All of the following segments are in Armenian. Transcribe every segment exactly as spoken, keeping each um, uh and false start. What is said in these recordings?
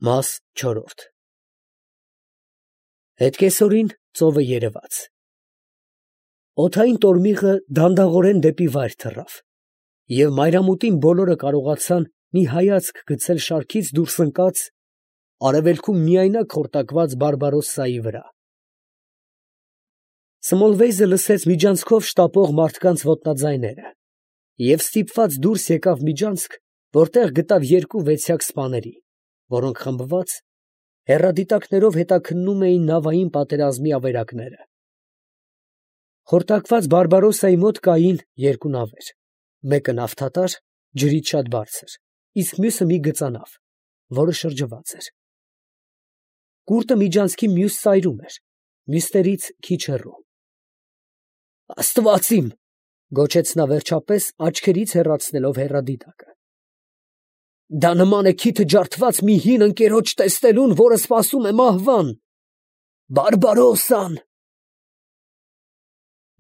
Մաս չորրորդ Հետկեսօրին ծովը երևաց։ Օդային տորմիղը դանդաղորեն դեպի վայր թռավ, և մայրամուտին բոլորը կարողացան մի հայացք գցել շարքից դուրս ընկած, արևելքում միայնակ խորտակված Բարբարոսսայի վրա։ Սմոլվեյզը լսեց միջանցքով շտապող մարդկանց ոտնաձայները և ստիպված դուրս եկավ միջանցք, որտեղ գտավ երկու վեցյակ սպաների, որոնք խմբված, հեռադիտակներով հետաքննում էին նավային պատերազմի ավերակները։ Խորտակված Բարբարոսսայի մոտ կային երկու նավեր, մեկը նավթատար, ջրից շատ բարձր, իսկ մյուսը մի գծանավ, որը շրջված էր։ Կուրտը միջանցքի մյուս ծայրում էր, մյուսներից քիչ հեռու։ «Աստված իմ», գոչեց նա վերջապես, աչքերից հեռացնելով հեռադիտակը, «դա նման է քիթը ջարդված մի հին ընկերոջ տեսնելուն, որը սպասում է մահվան… Բարբարոսսան…»։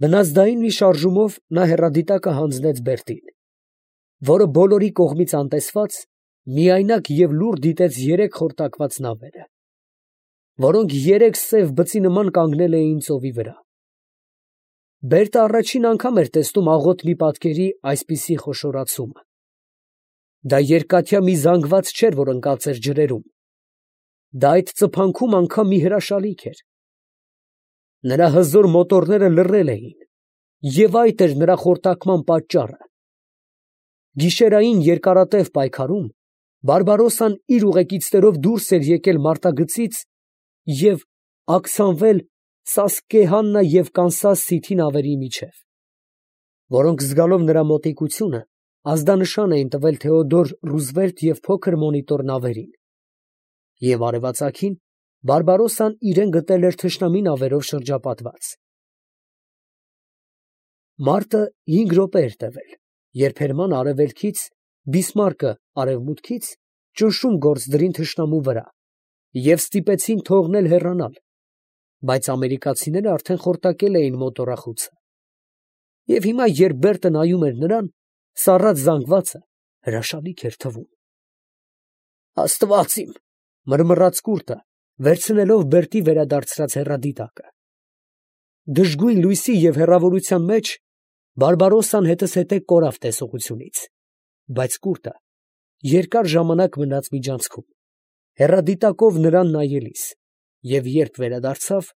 Վնասդային մի շարժումով նա հեռադիտակը հանձնեց Բերտին, որը բոլորի կողմից անտեսված, միայնակ և լուռ դիտեց երեք խորտակված նավերը, որոնք երեք սև բծի նման կանգնել էին ծովի վրա։ Բերտը առաջին անգամ էր տեսնում աղոթքի պատկերի այսպիսի խոշորացումը. դա երկաթյա մի զանգված չէր, որ ընկած էր ջրերում, դա այդ ծփանքում անգամ մի հրաշալիք էր։ Նրա հզոր մոտորները լռել էին, և այդ էր նրա խորտակման պատճառը։ Գիշերային երկարատև պայքարում Բարբարոսսան իր ուղեկիցներով դուրս էր եկել մարտագծից և ակցանվել Սասկեհաննա և Կանսաս Սիթի նավերի միջև, որոնք զգալով նրա մոտիկությունը, ազդանշան էին տվել Թեոդոր Ռուզվելտ և փոքր մոնիտոր նավերին, և արևածագին Բարբարոսսան իրան գտել էր թշնամի նավերով շրջապատված։ Մարտը հինգ րոպե էր տևել, երբ Հերմանը արևելքից, Բիսմարկը արևմուտքից ճնշում գործ դրին թշնամու վրա և ստիպեցին թողնել հեռանալ, բայց ամերիկացիները արդեն խորտակել էին մոտոռախոցը, և հիմա, երբ Բերտը նայում էր նրան, սառած զանգվածը հրաշալիք էր թվում։ «Աստված իմ», մռմռաց կուրտը, վերցնելով Բերտի վերադարձրած հեռադիտակը։ Դժգույն լույսի և հեռավորության մեջ Բարբարոսսան հետզհետե կորավ տեսողությունից, բայց կուրտը երկար ժամանակ մնաց միջանցքում, հեռադիտակով նրան նայելիս, և երբ վերադարձավ,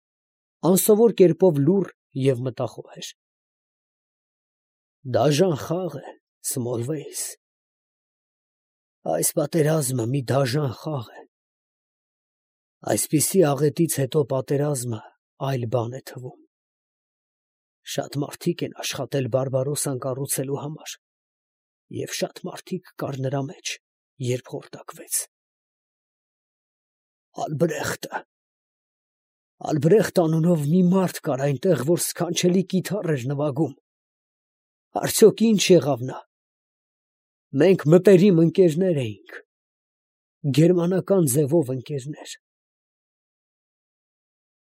անսովոր կերպով լուռ և մտախոհ էր։ «Դաժան խաղ է, Սմոլվեյս, այս պատերազմը մի դաժան խաղ է… այսպիսի աղետից հետո պատերազմը այլ բան է թվում… Շատ մարդիկ են աշխատել Բարբարոսսան կառուցելու համար, և շատ մարդիկ կար նրա մեջ, երբ խորտակվեց… Ալբրեխտը… Ալբրեխտ անունով մի մարդ կար այնտեղ, որ սքանչելի կիթառ էր նվագում… Արդյոք ի՞նչ եղավ նա… Մենք մտերիմ ընկերներ էինք… գերմանական ձևով ընկերներ…